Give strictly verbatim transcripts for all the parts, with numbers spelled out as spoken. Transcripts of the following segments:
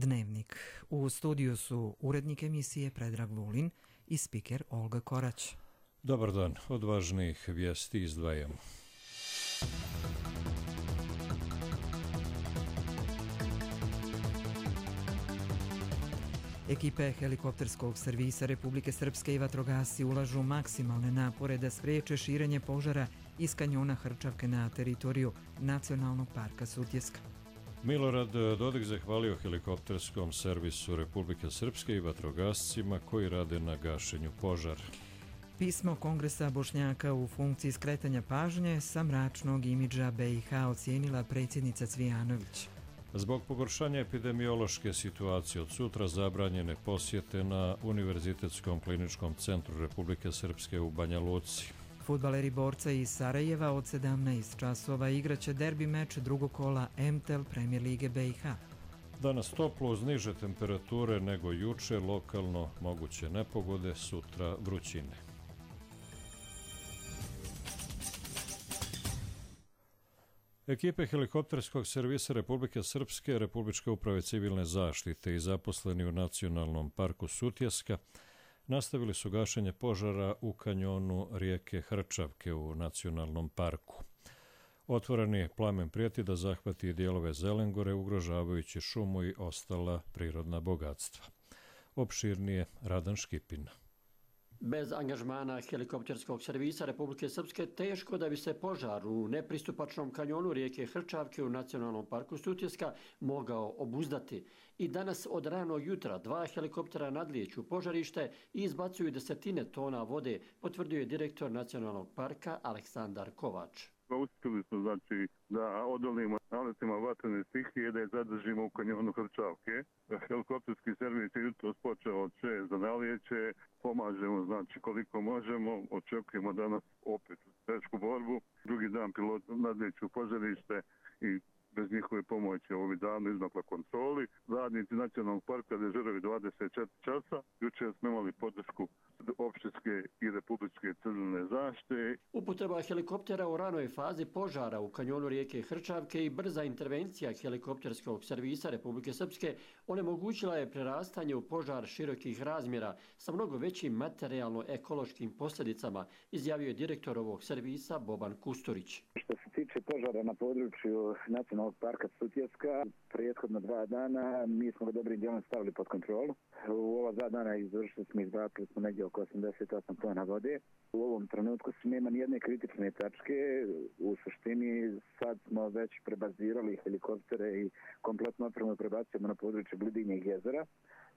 Dnevnik. U studiju su urednik emisije Predrag Vulin i spiker Olga Korać. Dobar dan, od važnijih vijesti izdvajamo. Ekipe helikopterskog servisa Republike Srpske i vatrogasci ulažu maksimalne napore da spriječe širenje požara iz kanjona Hrčavke na teritoriju Nacionalnog parka Sutjeska. Milorad Dodik zahvalio helikopterskom servisu Republike Srpske i vatrogascima koji rade na gašenju požara. Pismo Kongresa Bošnjaka u funkciji skretanja pažnje sa mračnog imidža B i H ocijenila predsjednica Cvijanović. Zbog pogoršanja epidemiološke situacije od sutra zabranjene posjete na Univerzitetskom kliničkom centru Republike Srpske u Banja Luci. Fudbaleri Borca iz Sarajeva od sedamnaest časova igraće derbi meč drugog kola M T E L Premier Lige B i H. Danas toplo uz niže temperature nego juče, lokalno moguće nepogode, sutra vrućine. Ekipe helikopterskog servisa Republike Srpske, Republičke uprave civilne zaštite i zaposleni u Nacionalnom parku Sutjeska nastavili su gašenje požara u kanjonu rijeke Hrčavke u Nacionalnom parku. Otvoreni plamen prijeti da zahvati dijelove Zelengore, ugrožavajući šumu i ostala prirodna bogatstva. Opširnije Radan Škipin. Bez angažmana helikopterskog servisa Republike Srpske teško da bi se požar u nepristupačnom kanjonu rijeke Hrčavke u Nacionalnom parku Sutjeska mogao obuzdati. I danas od ranog jutra dva helikoptera nadlijeću požarište i izbacuju desetine tona vode, potvrdio je direktor Nacionalnog parka Aleksandar Kovač. Uspjeli smo znači da odolimo naletima vatrene stihije, da je zadržimo u kanjonu Hrčavke. Helikopterski servis je jutros počeo od šest za nalijeće, pomažemo znači koliko možemo, očekujemo danas opet tešku borbu. Drugi dan pilot nadlijeću požarište i bez njihove pomoći ovih dana izmakla kontroli. Radnici Nacionalnog parka dežuraju dvadeset četiri časa. Jučer smo imali podršku opštinske i republičke civilne zaštite. Upotreba helikoptera u ranoj fazi požara u kanjonu rijeke Hrčavke i brza intervencija helikopterskog servisa Republike Srpske onemogućila je prerastanje u požar širokih razmjera sa mnogo većim materijalno-ekološkim posljedicama, izjavio je direktor ovog servisa Boban Kusturić. Što se tiče požara na području Nacionalnog parka Sutjeska, prethodno dva dana mi smo ga dobrim dijelom stavili pod kontrolu. U ova dva dana izvršili smo, izbacili smo negdje oko osamdeset osam tona vode. U ovom trenutku nema nijedne kritične tačke. U suštini sad smo već prebazirali helikoptere i kompletno opremu prebacujemo na područje Blidinjeg jezera,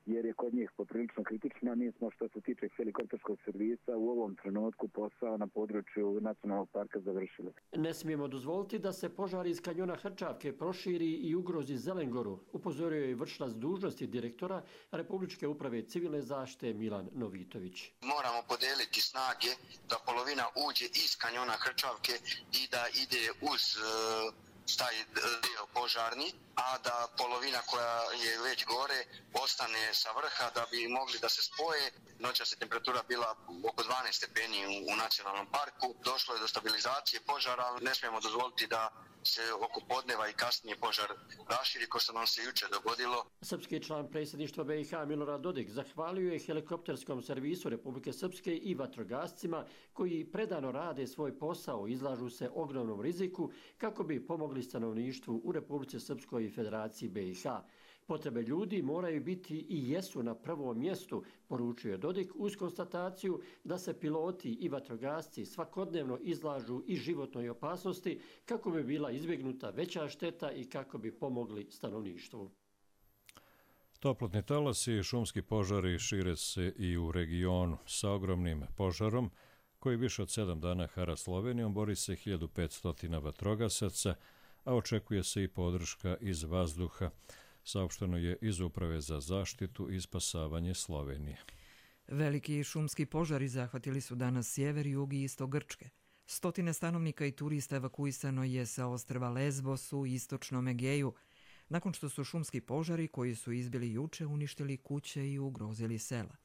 jer je kod njih poprilično kritično. Mi smo, što se tiče helikopterskog servisa, u ovom trenutku posao na području Nacionalnog parka završili. Ne smijemo dozvoliti da se požar iz kanjona Hrčavke proširi i ugrozi Zelengoru, upozorio je vršilac dužnosti direktora Republičke uprave civilne zaštite Milan Novitović. Moramo podijeliti snage da polovina uđe iz kanjona Hrčavke i da ide uz taj dio požarni, a da polovina koja je već gore ostane sa vrha da bi mogli da se spoje. Noćas je temperatura bila oko dvanaest stepeni u Nacionalnom parku. Došlo je do stabilizacije požara, ali ne smijemo dozvoliti da se oko podneva i kasnije požar raširi, ko što nam se jučer dogodilo. Srpski član predsjedništva B i H Milorad Dodik zahvalio je helikopterskom servisu Republike Srpske i vatrogascima koji predano rade svoj posao, izlažu se ogromnom riziku kako bi pomogli stanovništvu u Republici Srpskoj i Federaciji B i H. Potrebe ljudi moraju biti i jesu na prvom mjestu, poručio je Dodik uz konstataciju da se piloti i vatrogasci svakodnevno izlažu i životnoj opasnosti kako bi bila izbjegnuta veća šteta i kako bi pomogli stanovništvu. Toplotni talasi i šumski požari šire se i u regionu. Sa ogromnim požarom, koji više od sedam dana hara Slovenijom, bori se hiljadu petsto vatrogasaca, a očekuje se i podrška iz vazduha, saopšteno je iz Uprave za zaštitu i spasavanje Slovenije. Veliki šumski požari zahvatili su danas sjever, jug i istok Grčke. Stotine stanovnika i turista evakuisano je sa ostrva Lesbos u istočnom Egeju, nakon što su šumski požari koji su izbili juče uništili kuće i ugrozili sela.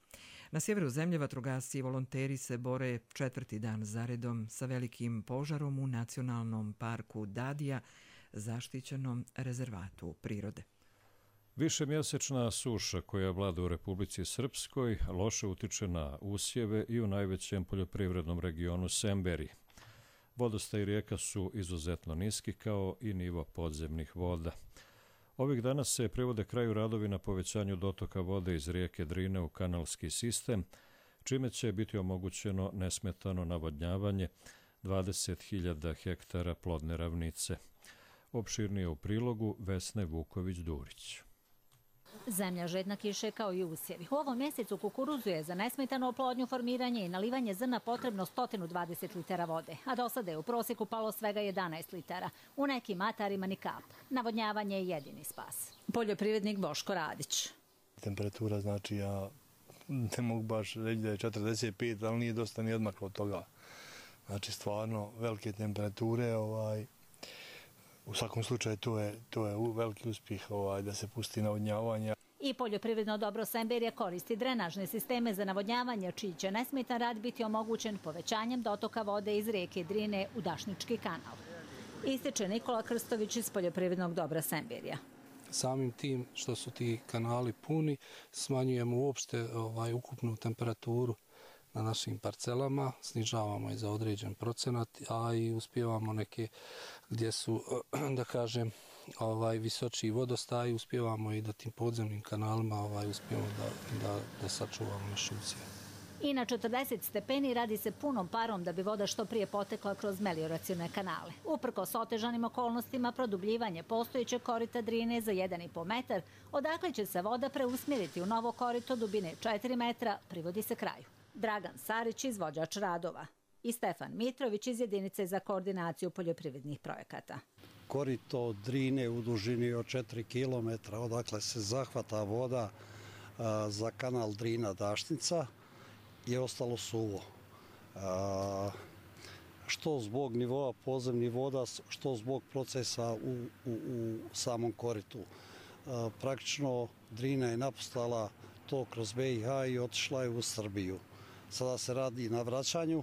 Na sjeveru zemlje vatrogasci i volonteri se bore četvrti dan zaredom sa velikim požarom u Nacionalnom parku Dadija, zaštićenom rezervatu prirode. Višemjesečna suša koja vlada u Republici Srpskoj loše utiče na usjeve i u najvećem poljoprivrednom regionu Semberije. Vodostaj rijeka su izuzetno niski kao i nivo podzemnih voda. Ovih dana se privode kraju radovi na povećanju dotoka vode iz rijeke Drine u kanalski sistem, čime će biti omogućeno nesmetano navodnjavanje dvadeset hiljada hektara plodne ravnice. Opširnije u prilogu Vesne Vuković-Durić. Zemlja žedna kiše kao i usjevi. U ovom mjesecu kukuruzu je za nesmetanu oplodnju, formiranje i nalivanje zrna potrebno sto dvadeset litara vode, a do sada je u prosjeku palo svega jedanaest litara. U nekim atarima ni kap. Navodnjavanje je jedini spas. Poljoprivrednik Boško Radić. Temperatura, znači ja ne mogu baš reći da je četrdeset pet, ali nije dosta ni odmaklo od toga. Znači stvarno velike temperature, ovaj, u svakom slučaju to je, to je veliki uspjeh ovaj, da se pusti navodnjavanje. I poljoprivredno dobro Semberije koristi drenažne sisteme za navodnjavanje, čiji će nesmetan rad biti omogućen povećanjem dotoka vode iz rijeke Drine u Dašnički kanal. Ističe Nikola Krstović iz poljoprivrednog dobra Semberija. Samim tim što su ti kanali puni, smanjujemo uopšte ovaj, ukupnu temperaturu na našim parcelama, snižavamo je za određen procenat, a i uspijevamo neke gdje su, da kažem, ovaj, visočiji vodostaj, uspijevamo i da tim podzemnim kanalima ovaj, uspijemo da, da, da sačuvamo naše usjeve. I na četrdeset stepeni radi se punom parom da bi voda što prije potekla kroz melioracione kanale. Uprkos otežanim okolnostima, produbljivanje postojećeg korita Drine za jedan i po metar, odakle će se voda preusmjeriti u novo korito dubine četiri metra, privodi se kraju. Dragan Sarić, izvođač radova, i Stefan Mitrović iz jedinice za koordinaciju poljoprivrednih projekata. Korito Drine u dužini od četiri kilometra, odakle se zahvata voda a, za kanal Drina-Dašnica, je ostalo suvo. A, što zbog nivoa podzemnih voda, što zbog procesa u, u, u samom koritu. A, praktično Drina je napustala to kroz B i H i otišla je u Srbiju. Sada se radi na vraćanju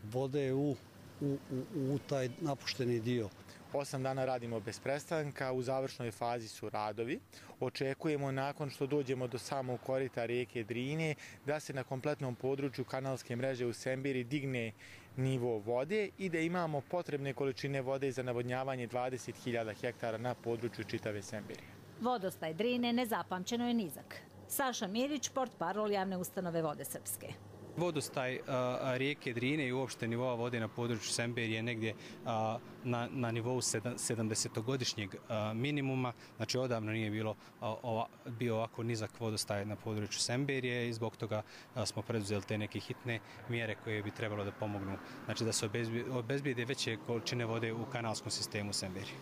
vode u, u, u, u taj napušteni dio. Osam dana radimo bez prestanka, u završnoj fazi su radovi. Očekujemo nakon što dođemo do samog korita rijeke Drine da se na kompletnom području kanalske mreže u Semberiji digne nivo vode i da imamo potrebne količine vode za navodnjavanje dvadeset hiljada hektara na području čitave Semberije. Vodostaj Drine nezapamćeno je nizak. Saša Mirić, portparol javne ustanove Vode Srpske. Vodostaj a, rijeke Drine i uopšte nivoa vode na području Semberije je negdje a, na, na nivou sedamdesetogodišnjeg minimuma. Znači odavno nije bilo a, ova, bio ovako nizak vodostaj na području Semberije i zbog toga a, smo preduzeli te neke hitne mjere koje bi trebalo da pomognu. Znači da se obezbijede veće količine vode u kanalskom sistemu Semberije.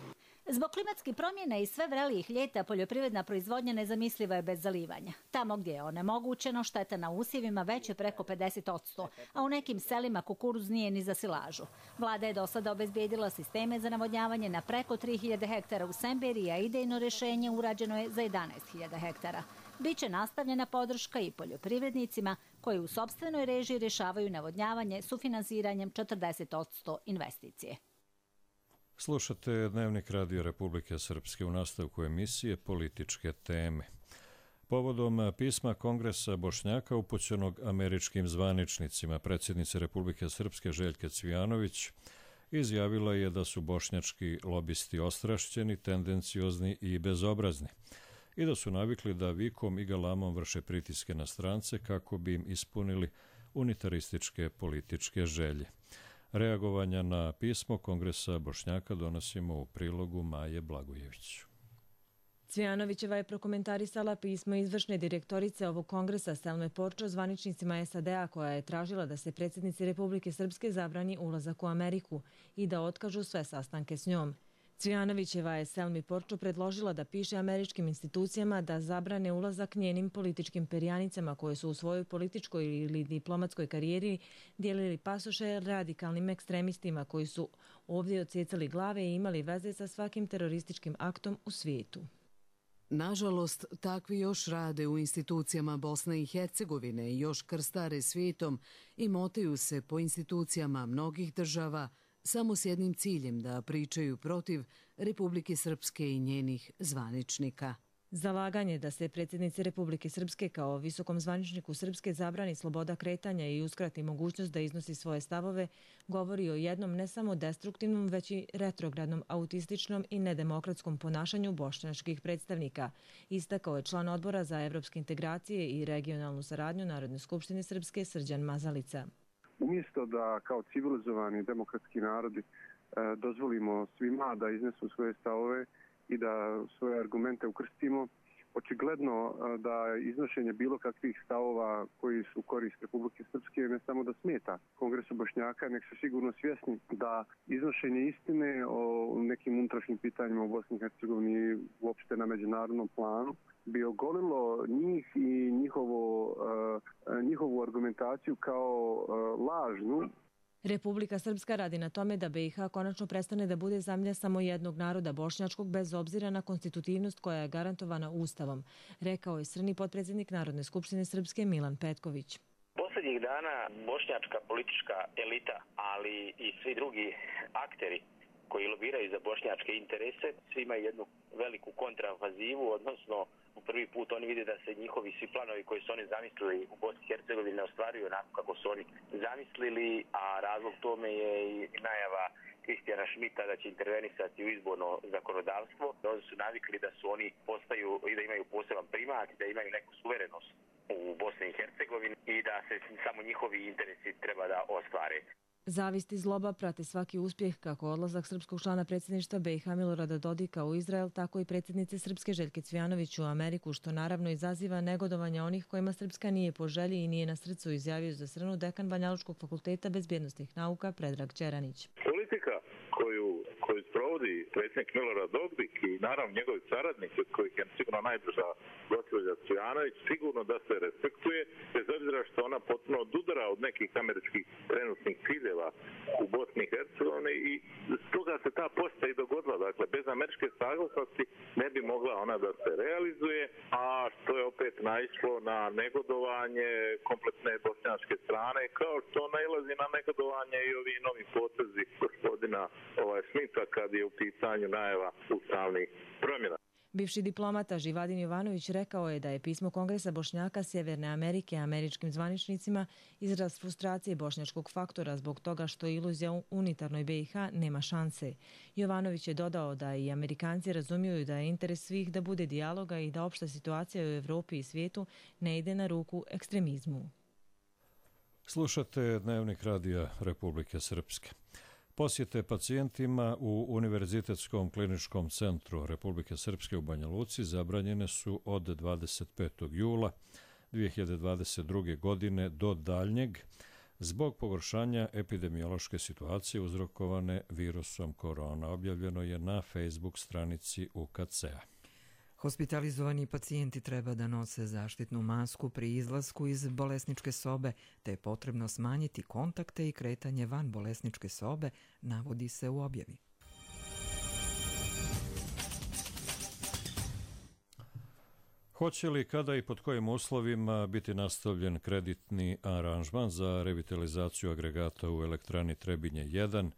Zbog klimatskih promjena i sve vrelijih ljeta poljoprivredna proizvodnja nezamisliva je bez zalivanja. Tamo gdje je onemogućeno, šteta na usjevima već je preko pedeset posto, a u nekim selima kukuruz nije ni za silažu. Vlada je do sada obezbijedila sisteme za navodnjavanje na preko tri hiljade hektara u Semberiji, a idejno rješenje urađeno je za jedanaest hiljada hektara. Biće nastavljena podrška i poljoprivrednicima koji u sopstvenoj režiji rješavaju navodnjavanje sufinansiranjem četrdeset posto investicije. Slušate Dnevnik Radio Republike Srpske, u nastavku emisije Političke teme. Povodom pisma Kongresa Bošnjaka upućenog američkim zvaničnicima, predsjednice Republike Srpske Željke Cvijanović izjavila je da su bošnjački lobisti ostrašćeni, tendenciozni i bezobrazni i da su navikli da vikom i galamom vrše pritiske na strance kako bi im ispunili unitarističke političke želje. Reagovanja na pismo Kongresa Bošnjaka donosimo u prilogu Maje Blagojević. Cvijanovićeva je prokomentarisala pismo izvršne direktorice ovog kongresa Selme Porčo zvaničnicima S A D-a koja je tražila da se predsjednici Republike Srpske zabrani ulazak u Ameriku i da otkažu sve sastanke s njom. Cvijanovićeva je Selmi Porčo predložila da piše američkim institucijama da zabrane ulazak njenim političkim perjanicama koje su u svojoj političkoj ili diplomatskoj karijeri dijelili pasoše radikalnim ekstremistima koji su ovdje odsjecali glave i imali veze sa svakim terorističkim aktom u svijetu. Nažalost, takvi još rade u institucijama Bosne i Hercegovine i još krstare svijetom i motaju se po institucijama mnogih država samo s jednim ciljem da pričaju protiv Republike Srpske i njenih zvaničnika. Zalaganje da se predsjednici Republike Srpske kao visokom zvaničniku Srpske zabrani sloboda kretanja i uskrati mogućnost da iznosi svoje stavove govori o jednom ne samo destruktivnom, već i retrogradnom, autističnom i nedemokratskom ponašanju bošnjačkih predstavnika, istakao je član odbora za evropske integracije i regionalnu saradnju Narodne skupštine Srpske Srđan Mazalica. Umjesto da kao civilizovani demokratski narodi dozvolimo svima da iznesu svoje stavove i da svoje argumente ukrstimo, očigledno da iznošenje bilo kakvih stavova koji su u korist Republike Srpske ne samo da smeta Kongresu Bošnjaka, nek su sigurno svjesni da iznošenje istine o nekim unutrašnjim pitanjima u Bosni i Hercegovini uopšte na međunarodnom planu bi ogolilo njih i njihovo, njihovu argumentaciju kao lažnu. Republika Srpska radi na tome da be i ha konačno prestane da bude zemlja samo jednog naroda bošnjačkog bez obzira na konstitutivnost koja je garantovana Ustavom, rekao je srni potpredsjednik Narodne skupštine Srpske Milan Petković. Poslednjih dana bošnjačka politička elita, ali i svi drugi akteri koji lobiraju za bošnjačke interese, svi imaju jednu veliku kontraofazivu, odnosno u prvi put oni vide da se njihovi svi planovi koji su oni zamislili u Bosni i Hercegovini ne ostvaruju onako kako su oni zamislili, a razlog tome je i najava Kristijana Šmita da će intervenisati u izborno zakonodavstvo. Oni su navikli da su oni postaju i da imaju poseban primat, da imaju neku suverenost u Bosni i Hercegovini i da se samo njihovi interesi treba da ostvare. Zavist i zloba prate svaki uspjeh, kako odlazak srpskog člana predsjedništva be i ha Milorada Dodika u Izrael, tako i predsjednice Srpske Željke Cvijanović u Ameriku, što naravno izaziva negodovanje onih kojima Srpska nije po želji i nije na srcu, izjavio za Srnu dekan Banjalučkog fakulteta bezbjednostnih nauka Predrag Čeranić. Politika koju, koju sprovodi predsjednik Milorad Dodik i naravno njegovi saradnici, od kojih je sigurno najbliža gospođa Cvijanović, sigurno da se respektuje, bez obzira što ona potpuno odudara od nekih američkih trenutnih ciljeva u Bosni i Hercegovini i stoga se ta posjeta i dogodila. Dakle, bez američke saglasnosti ne bi mogla ona da se realizuje, a što je opet naišlo na negodovanje kompletne bošnjačke strane, kao što nailazi na negodovanje i ovi novi potezi gospodina ovaj, Smita kad je u pitanju najava ustavnih promjena. Bivši diplomata Živadin Jovanović rekao je da je pismo Kongresa Bošnjaka Sjeverne Amerike američkim zvaničnicima izraz frustracije bošnjačkog faktora zbog toga što iluzija u unitarnoj be i ha nema šanse. Jovanović je dodao da i Amerikanci razumiju da je interes svih da bude dijaloga i da opšta situacija u Evropi i svijetu ne ide na ruku ekstremizmu. Slušate Dnevnik radija Republike Srpske. Posjete pacijentima u Univerzitetskom kliničkom centru Republike Srpske u Banja Luci zabranjene su od dvadeset petog jula dvije hiljade dvadeset druge. godine do daljnjeg zbog pogoršanja epidemiološke situacije uzrokovane virusom korona. Objavljeno je na Facebook stranici U K C-a. Hospitalizovani pacijenti treba da nose zaštitnu masku pri izlasku iz bolesničke sobe, te je potrebno smanjiti kontakte i kretanje van bolesničke sobe, navodi se u objavi. Hoće li, kada i pod kojim uslovima biti nastavljen kreditni aranžman za revitalizaciju agregata u elektrani Trebinje jedan,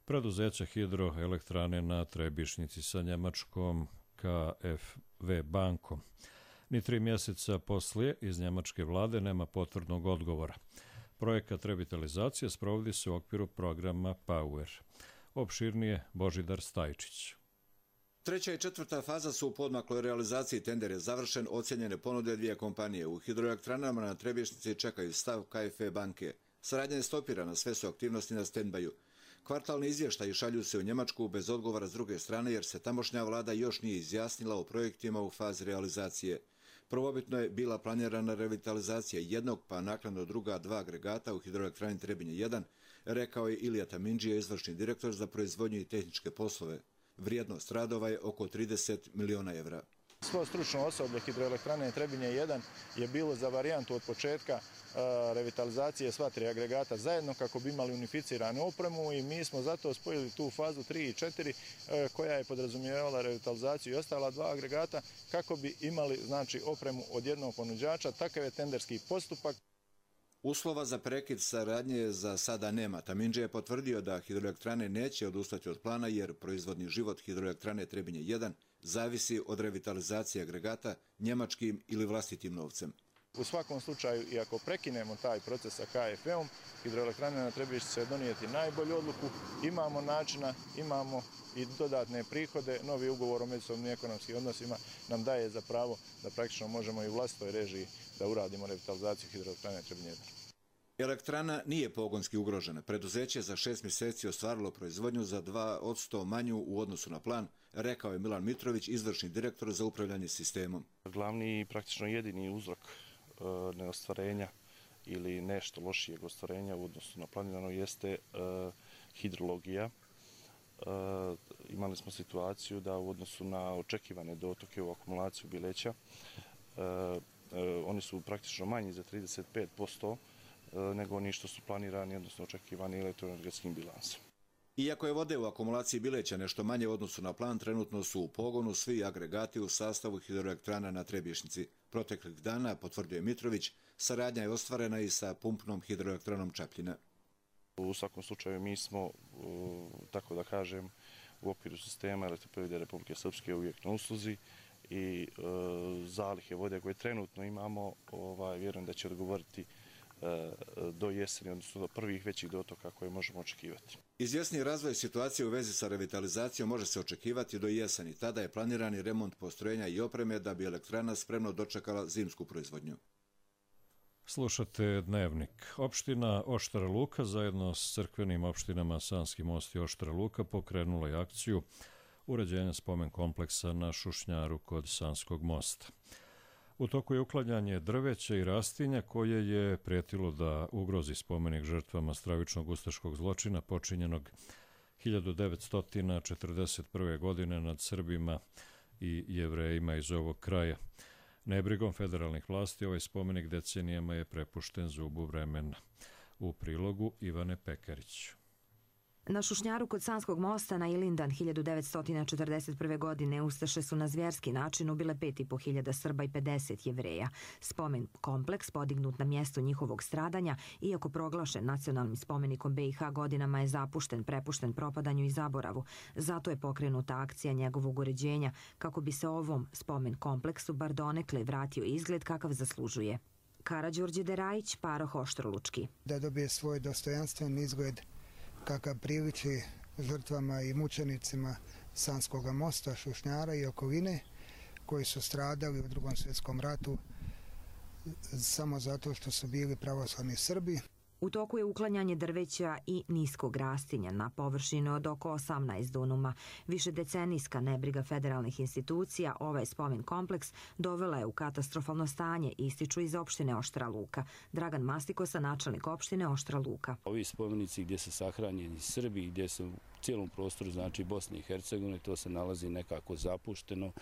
preduzeća hidroelektrane na Trebišnici sa njemačkom K F V bankom. Ni tri mjeseca poslije iz njemačke vlade nema potvrdnog odgovora. Projekat revitalizacije sprovodi se u okviru programa Power. Opširnije Božidar Stajčić. Treća i četvrta faza su u podmakloj realizaciji. Tender je završen, ocjenjene ponude dvije kompanije. U hidroelektranama na Trebišnici čekaju stav K F V banke. Saradnja je stopirana, sve su aktivnosti na stand-baju. Kvartalni izvještaji šalju se u Njemačku bez odgovora s druge strane jer se tamošnja vlada još nije izjasnila o projektima u fazi realizacije. Prvobitno je bila planirana revitalizacija jednog pa naknadno druga dva agregata u hidroelektrani Trebinje jedan, rekao je Ilija Tamindžija, izvršni direktor za proizvodnju i tehničke poslove. Vrijednost radova je oko trideset miliona evra. Svo stručno osoblje hidroelektrane Trebinje jedan je bilo za varijantu od početka revitalizacije sva tri agregata zajedno kako bi imali unificiranu opremu i mi smo zato spojili tu fazu tri i četiri koja je podrazumijevala revitalizaciju i ostala dva agregata kako bi imali znači opremu od jednog ponuđača. Takav je tenderski postupak. Uslova za prekid saradnje za sada nema. Tamindži je potvrdio da hidroelektrane neće odustati od plana jer proizvodni život hidroelektrane Trebinje jedan zavisi od revitalizacije agregata njemačkim ili vlastitim novcem. U svakom slučaju, i ako prekinemo taj proces sa K F E-om, hidroelektrane na Trebinje će donijeti najbolju odluku. Imamo načina, imamo i dodatne prihode. Novi ugovor o međusobnim ekonomskim odnosima nam daje za pravo da praktično možemo i u vlastitoj režiji da uradimo revitalizaciju hidroelektrane Trebinje jedan. Elektrana nije pogonski ugrožena. Preduzeće za šest mjeseci ostvarilo proizvodnju za dva posto manju u odnosu na plan, rekao je Milan Mitrović, izvršni direktor za upravljanje sistemom. Glavni i praktično jedini uzrok e, neostvarenja ili nešto lošijeg ostvarenja u odnosu na planirano jeste e, hidrologija. E, imali smo situaciju da u odnosu na očekivane dotoke u akumulaciju Bileća, e, e, oni su praktično manji za trideset pet posto nego oni što su planirani, odnosno očekivani elektroenergetskim bilansom. Iako je vode u akumulaciji Bileća nešto manje u odnosu na plan, trenutno su u pogonu svi agregati u sastavu hidroelektrana na Trebješnjici. Proteklih dana, potvrdio Mitrović, saradnja je ostvarena i sa pumpnom hidroelektranom Čapljina. U svakom slučaju mi smo, tako da kažem, u okviru sistema Elektroprivrede Republike Srpske uvijek na usluzi i zalihe vode koje trenutno imamo, vjerujem da će odgovoriti do jeseni, odnosno do prvih većih dotoka koje možemo očekivati. Izvjesni razvoj situacije u vezi sa revitalizacijom može se očekivati do jeseni. Tada je planirani remont postrojenja i opreme da bi elektrana spremno dočekala zimsku proizvodnju. Slušate Dnevnik. Opština Oštara Luka zajedno s crkvenim opštinama Sanski Most i Oštara Luka pokrenula je akciju uređenja spomen kompleksa na Šušnjaru kod Sanskog mosta. U toku je uklanjanje drveća i rastinja koje je prijetilo da ugrozi spomenik žrtvama stravičnog ustaškog zločina počinjenog hiljadu devetsto četrdeset prve. godine nad Srbima i Jevrejima iz ovog kraja. Nebrigom federalnih vlasti ovaj spomenik decenijama je prepušten zubu vremena. U prilogu Ivane Pekarić. Na Šušnjaru kod Sanskog mosta na Ilindan hiljadu devetsto četrdeset prve. godine Ustaše su na zvjerski način ubile pet i po hiljada Srba i pedeset Jevreja. Spomen kompleks podignut na mjesto njihovog stradanja, iako proglašen nacionalnim spomenikom B i H godinama je zapušten, prepušten propadanju i zaboravu. Zato je pokrenuta akcija njegovog uređenja kako bi se ovom spomen kompleksu bar donekle vratio izgled kakav zaslužuje. Karađorđe Derajić, paroh Oštrolučki. Da dobije svoj dostojanstven izgled kakav priliči žrtvama i mučenicima Sanskog mosta, Šušnjara i okoline koji su stradali u Drugom svjetskom ratu samo zato što su bili pravoslavni Srbi. U toku je uklanjanje drveća i niskog rastinja na površine od oko osamnaest dunuma. Višedecenijska nebriga federalnih institucija ovaj spomen kompleks dovela je u katastrofalno stanje, ističu iz opštine Oštara Luka. Dragan Mastikosa, načelnik opštine Oštara Luka. Ovi spomenici gdje su sahranjeni Srbi, gdje su u cijelom prostoru, znači Bosne i Hercegovine, to se nalazi nekako zapušteno.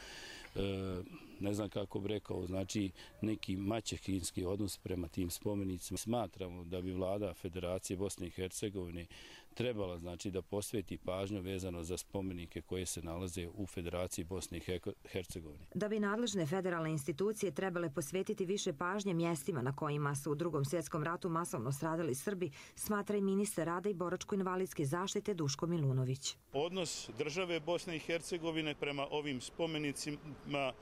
E, ne znam kako bi rekao, znači neki maćehinski odnos prema tim spomenicima. Smatramo da bi vlada Federacije Bosne i Hercegovine trebala znači da posveti pažnju vezano za spomenike koje se nalaze u Federaciji Bosne i Hercegovine. Da bi nadležne federalne institucije trebale posvetiti više pažnje mjestima na kojima su u Drugom svjetskom ratu masovno stradali Srbi, smatra i ministar rada i boračko-invalidske zaštite Duško Milunović. Odnos države Bosne i Hercegovine prema ovim spomenicima,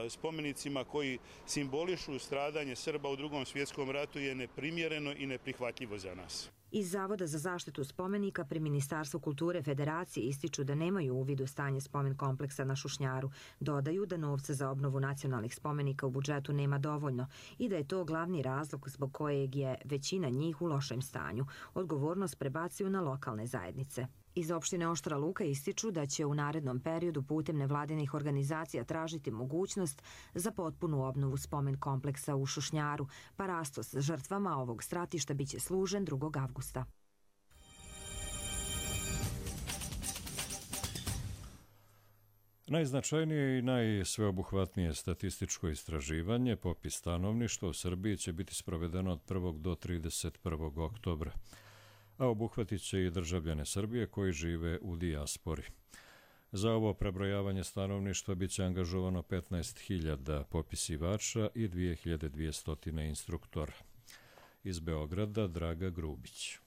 spomenicima koji simbolišu stradanje Srba u Drugom svjetskom ratu je neprimjereno i neprihvatljivo za nas. Iz Zavoda za zaštitu spomenika pri Ministarstvu kulture Federacije ističu da nemaju uvid u stanje spomen kompleksa na Šušnjaru. Dodaju da novca za obnovu nacionalnih spomenika u budžetu nema dovoljno i da je to glavni razlog zbog kojeg je većina njih u lošem stanju. Odgovornost prebacuju na lokalne zajednice. Iz opštine Oštara Luka ističu da će u narednom periodu putem nevladinih organizacija tražiti mogućnost za potpunu obnovu spomen kompleksa u Šušnjaru, pa rastos žrtvama ovog stratišta biće služen drugog avgusta. Najznačajnije i najsveobuhvatnije statističko istraživanje, popis stanovništva u Srbiji, će biti sprovedeno od prvog do trideset prvog oktobra. A obuhvatit će i državljane Srbije koji žive u dijaspori. Za ovo prebrojavanje stanovništva biće angažovano petnaest hiljada popisivača i dvije hiljade dvjesto instruktora. Iz Beograda Draga Grubić.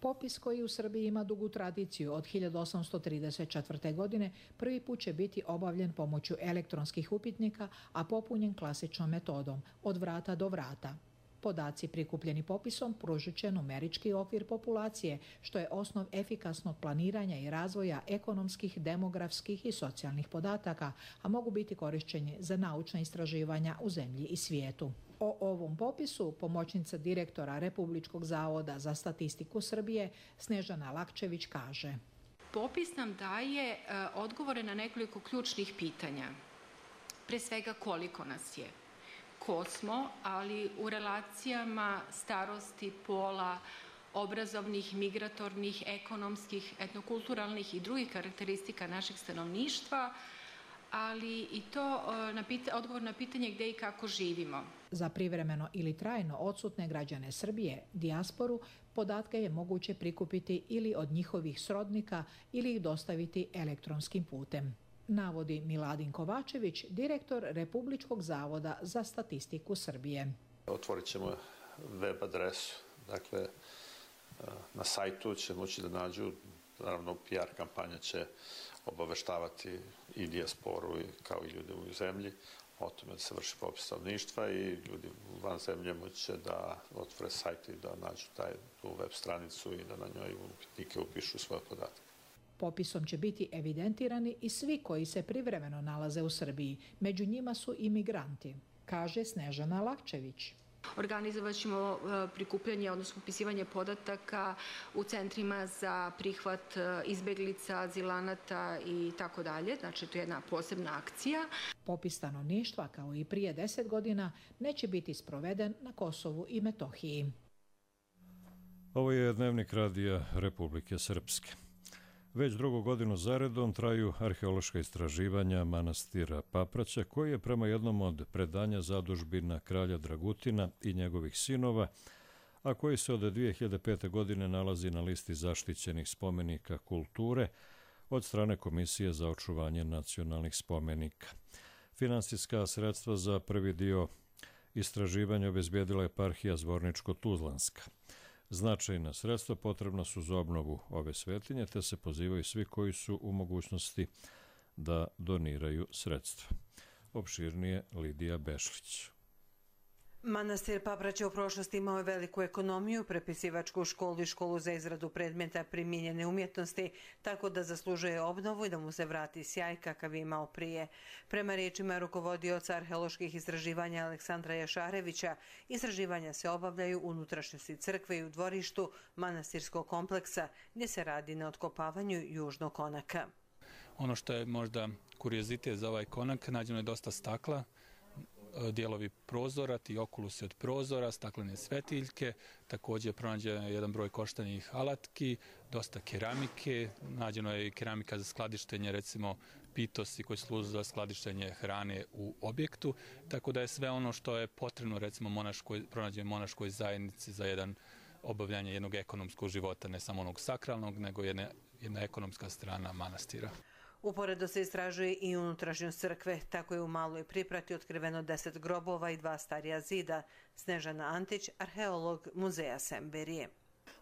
Popis koji u Srbiji ima dugu tradiciju od hiljadu osamsto trideset četvrte. godine prvi put će biti obavljen pomoću elektronskih upitnika, a popunjen klasičnom metodom od vrata do vrata. Podaci prikupljeni popisom pružit će numerički okvir populacije, što je osnov efikasnog planiranja i razvoja ekonomskih, demografskih i socijalnih podataka, a mogu biti korišćeni za naučna istraživanja u zemlji i svijetu. O ovom popisu pomoćnica direktora Republičkog zavoda za statistiku Srbije Snežana Lakčević kaže: Popis nam daje odgovore na nekoliko ključnih pitanja. Pre svega koliko nas je, ko smo, ali u relacijama starosti, pola, obrazovnih, migratornih, ekonomskih, etnokulturalnih i drugih karakteristika našeg stanovništva, ali i to na pita, odgovor na pitanje gde i kako živimo. Za privremeno ili trajno odsutne građane Srbije, dijasporu, podatke je moguće prikupiti ili od njihovih srodnika ili ih dostaviti elektronskim putem, navodi Miladin Kovačević, direktor Republičkog zavoda za statistiku Srbije. Otvorit ćemo web adresu, dakle na sajtu će moći da nađu, naravno P R kampanja će obaveštavati i dijasporu kao i ljude u zemlji o tome da se vrši popis stanovništva i ljudi van zemlje moće da otvore sajt i da nađu taj, tu web stranicu i da na njoj upitnike upišu svoje podatke. Popisom će biti evidentirani i svi koji se privremeno nalaze u Srbiji. Među njima su i migranti, kaže Snežana Lakčević. Organizovat ćemo prikupljanje, odnosno upisivanje podataka u centrima za prihvat izbeglica, azilanata i tako dalje. Znači, to je jedna posebna akcija. Popis stanovništva, kao i prije deset godina, neće biti sproveden na Kosovu i Metohiji. Ovo je Dnevnik radija Republike Srpske. Već drugu godinu zaredom traju arheološka istraživanja manastira Papraća, koji je prema jednom od predanja zadužbina kralja Dragutina i njegovih sinova, a koji se od dvije hiljade pete. godine nalazi na listi zaštićenih spomenika kulture od strane Komisije za očuvanje nacionalnih spomenika. Finansijska sredstva za prvi dio istraživanja obezbijedila je eparhija Zvorničko-Tuzlanska. Značajna sredstva potrebna su za obnovu ove svetinje, te se pozivaju svi koji su u mogućnosti da doniraju sredstva. Opširnije Lidija Bešlić. Manastir Papraća u prošlosti imao je veliku ekonomiju, prepisivačku školu i školu za izradu predmeta primijenjene umjetnosti, tako da zaslužuje obnovu i da mu se vrati sjaj kakav je imao prije. Prema riječima rukovodioca arheoloških istraživanja Aleksandra Jašarevića, istraživanja se obavljaju u unutrašnjosti crkve i u dvorištu manastirskog kompleksa, gdje se radi na otkopavanju južnog konaka. Ono što je možda kuriozitet za ovaj konak, nađeno je dosta stakla, dijelovi prozora, ti okulusi od prozora, staklene svetiljke, također je pronađen jedan broj koštanih alatki, dosta keramike, nađeno je i keramika za skladištenje, recimo pitosi koji služe za skladištenje hrane u objektu, tako da je sve ono što je potrebno, recimo monaškoj, pronađenje monaškoj zajednici za jedan obavljanje jednog ekonomskog života, ne samo onog sakralnog, nego jedna, jedna ekonomska strana manastira. Uporedo se istražuje i unutrašnjost crkve, tako je u Maloj Priprati otkriveno deset grobova i dva starija zida. Snežana Antić, arheolog Muzeja Semberije.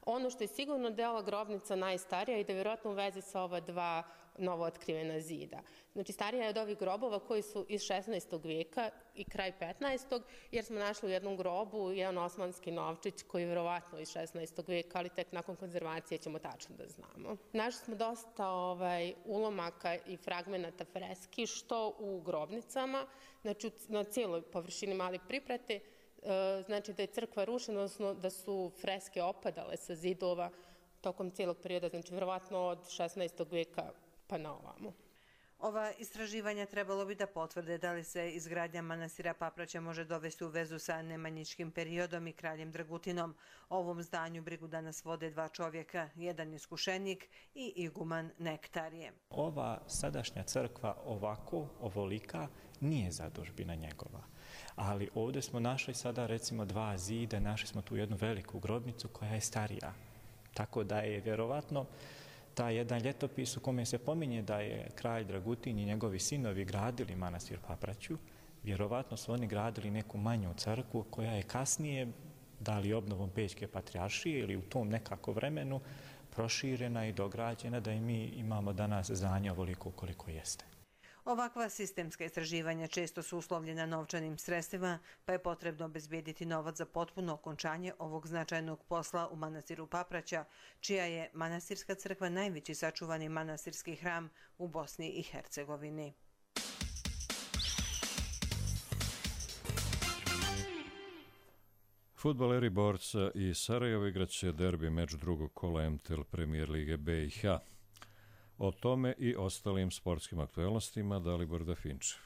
Ono što je sigurno da je ova grobnica najstarija i da je vjerojatno u vezi sa ova dva novo otkrivena zida. Znači, starija je od ovih grobova koji su iz šesnaestog vijeka i kraj petnaestog, jer smo našli u jednom grobu jedan osmanski novčić koji je vjerovatno iz šesnaestog vijeka, ali tek nakon konzervacije ćemo tačno da znamo. Našli smo dosta ovaj, ulomaka i fragmenata freski, što u grobnicama, znači na cijeloj površini Male Priprate, znači da je crkva rušena, odnosno da su freske opadale sa zidova tokom cijelog perioda, znači vjerovatno od šesnaestog vijeka pa na ovamo. Ova istraživanja trebalo bi da potvrde da li se izgradnja manastira Papraća može dovesti u vezu sa nemanjičkim periodom i kraljem Dragutinom. O ovom zdanju brigu danas vode dva čovjeka, jedan iskušenik i iguman Nektarije. Ova sadašnja crkva ovako, ovolika, nije zadužbina njegova. Ali ovdje smo našli sada recimo dva zida, našli smo tu jednu veliku grobnicu koja je starija. Tako da je vjerovatno taj jedan ljetopis u kome se pominje da je kralj Dragutin i njegovi sinovi gradili manastir Papraću, vjerovatno su oni gradili neku manju crkvu koja je kasnije da li obnovom Pećke patrijaršije ili u tom nekako vremenu proširena i dograđena da i mi imamo danas znanje ovoliko koliko jeste. Ovakva sistemska istraživanja često su uslovljena novčanim sredstvima, pa je potrebno obezbijediti novac za potpuno okončanje ovog značajnog posla u manastiru Papraća, čija je manastirska crkva najveći sačuvani manastirski hram u Bosni i Hercegovini. Fudbaleri Borca i Sarajevo igraće derbi meč drugog kola M T L Premier Lige B i H. O tome i ostalim sportskim aktuelnostima Dalibor Dafinčev.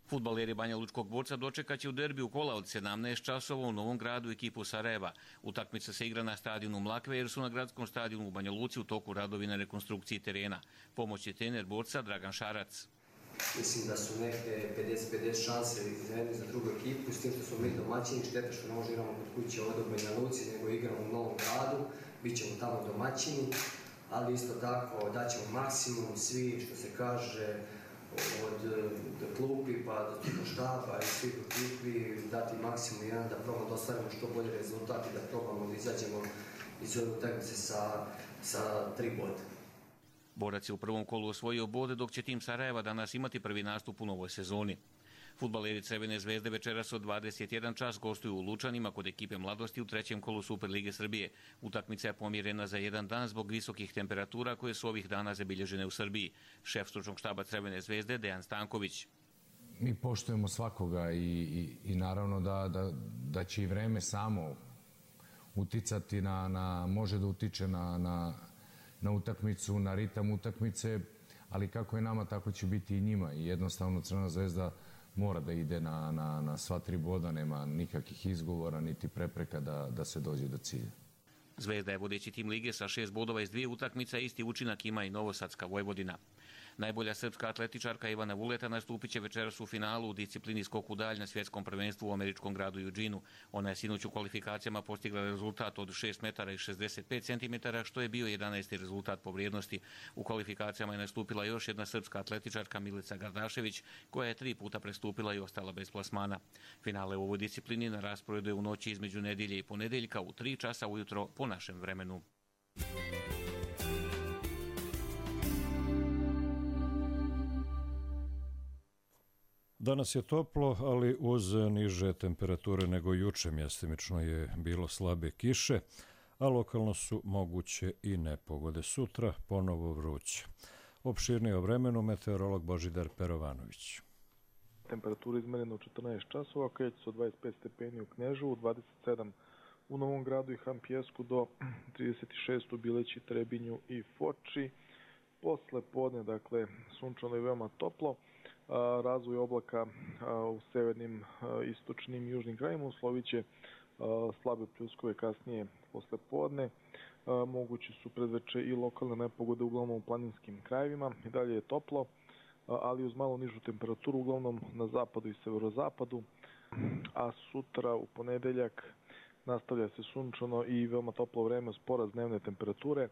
Fudbaleri Banja Lučkog Borca dočekaće u derbiju kola od sedamnaest časova u Novom Gradu ekipu Sarajeva. Utakmica se igra na stadionu Mlakve jer su na gradskom stadionu u Banja Luci u toku radovi na rekonstrukciji terena. Pomoć je trener Borca Dragan Šarac. Mislim da su neke pedeset pedeset šanse za jednu i za drugu ekipu, s tim što smo mi domaćini, šteta što ne možemo igramo kod kuće ovdje u Banja Luci, nego igramo u Novom Gradu, bit ćemo tamo domaćini, ali isto tako daćemo maksimum svi, što se kaže, od klupi pa do štaba i svih ekipi, dati maksimum jedan da probamo da ostvarimo što bolji rezultat i da probamo da izađemo iz ove utakmice sa, sa tri boda. Borac je u prvom kolu osvojio bode, dok će tim Sarajeva danas imati prvi nastup u novoj sezoni. Fudbaleri Crvene zvezde večeras od dvadeset jedan čas gostuju u Lučanima kod ekipe Mladosti u trećem kolu Superlige Srbije. Utakmica je pomjerena za jedan dan zbog visokih temperatura koje su ovih dana zabilježene u Srbiji. Šef stručnog štaba Crvene zvezde Dejan Stanković. Mi poštujemo svakoga i, i, i naravno da, da, da će i vreme samo uticati na, na može da utiče na, na na utakmicu, na ritam utakmice, ali kako je nama, tako će biti i njima. I jednostavno Crvena zvezda mora da ide na, na, na sva tri boda, nema nikakvih izgovora, niti prepreka da, da se dođe do cilja. Zvezda je vodeći tim lige sa šest bodova iz dvije utakmica, isti učinak ima i Novosadska Vojvodina. Najbolja srpska atletičarka Ivana Vuleta nastupit će večeras u finalu u disciplini skok u dalj na svjetskom prvenstvu u američkom gradu Eugene-u. Ona je sinoć u kvalifikacijama postigla rezultat od šest metara i šezdeset pet centimetara, što je bio jedanaesti rezultat po vrijednosti. U kvalifikacijama je nastupila još jedna srpska atletičarka Milica Gardašević, koja je tri puta prestupila i ostala bez plasmana. Finale u ovoj disciplini na rasporedu je u noći između nedjelje i ponedeljka u tri časa ujutro po našem vremenu. Danas je toplo, ali uz niže temperature nego juče. Mjestimično je bilo slabe kiše, a lokalno su moguće i nepogode. Sutra ponovo vruće. Opširnije o vremenu meteorolog Božidar Perovanović. Temperatura izmerena u četrnaest časova, kreće se od dvadeset pet stepeni u Kneževu, dvadeset sedam u Novom Gradu i Hampjesku do trideset šest u Bileći, Trebinju i Foči. Posle podne, dakle, sunčano i veoma toplo. Razvoj oblaka u severnim, istočnim i južnim krajima uslovit će slabe pljuskove kasnije posle podne. Mogući su predveče i lokalne nepogode uglavnom u planinskim krajevima. I dalje je toplo, ali uz malo nižu temperaturu uglavnom na zapadu i severozapadu. A sutra u ponedeljak nastavlja se sunčano i veoma toplo vreme uz porast dnevne temperature.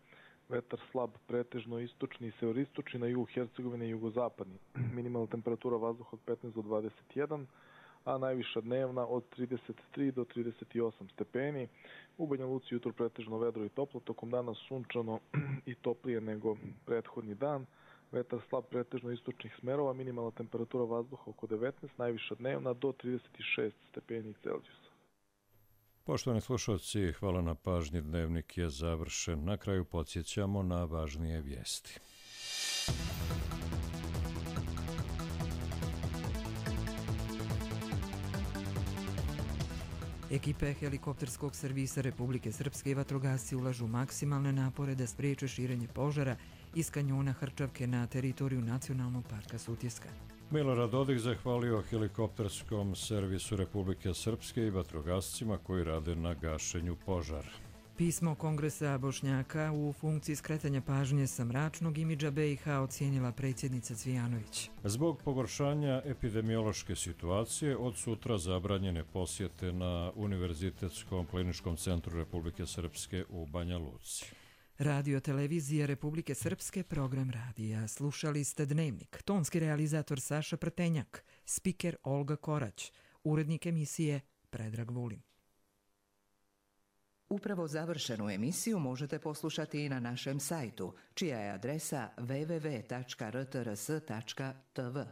Vetar slab, pretežno istočni i severistočni, na jugu Hercegovine i jugozapadni. Minimalna temperatura vazduha od petnaest do dvadeset jedan, a najviša dnevna od trideset tri do trideset osam stepeni. U Banja Luci jutro pretežno vedro i toplo, tokom dana sunčano i toplije nego prethodni dan. Vetar slab, pretežno istočnih smerova, minimalna temperatura vazduha oko devetnaest, najviša dnevna do trideset šest stepeni Celzijusa. Poštovani slušalci, hvala na pažnji. Dnevnik je završen. Na kraju podsjećamo na važnije vijesti. Ekipe helikopterskog servisa Republike Srpske i vatrogasci ulažu maksimalne napore da spriječe širenje požara iz kanjona Hrčavke na teritoriju Nacionalnog parka Sutjeska. Milorad Dodik zahvalio helikopterskom servisu Republike Srpske i vatrogascima koji rade na gašenju požara. Pismo Kongresa Bošnjaka u funkciji skretanja pažnje sa mračnog imidža B i H ocijenila predsjednica Cvijanović. Zbog pogoršanja epidemiološke situacije od sutra zabranjene posjete na Univerzitetskom kliničkom centru Republike Srpske u Banja Luci. Radio televizija Republike Srpske, program radija. Slušali ste Dnevnik. Tonski realizator Saša Prtenjak, spiker Olga Korać, urednik emisije Predrag Vulin. Upravo završenu emisiju možete poslušati i na našem sajtu, čija je adresa w w w tačka r t r s tačka t v.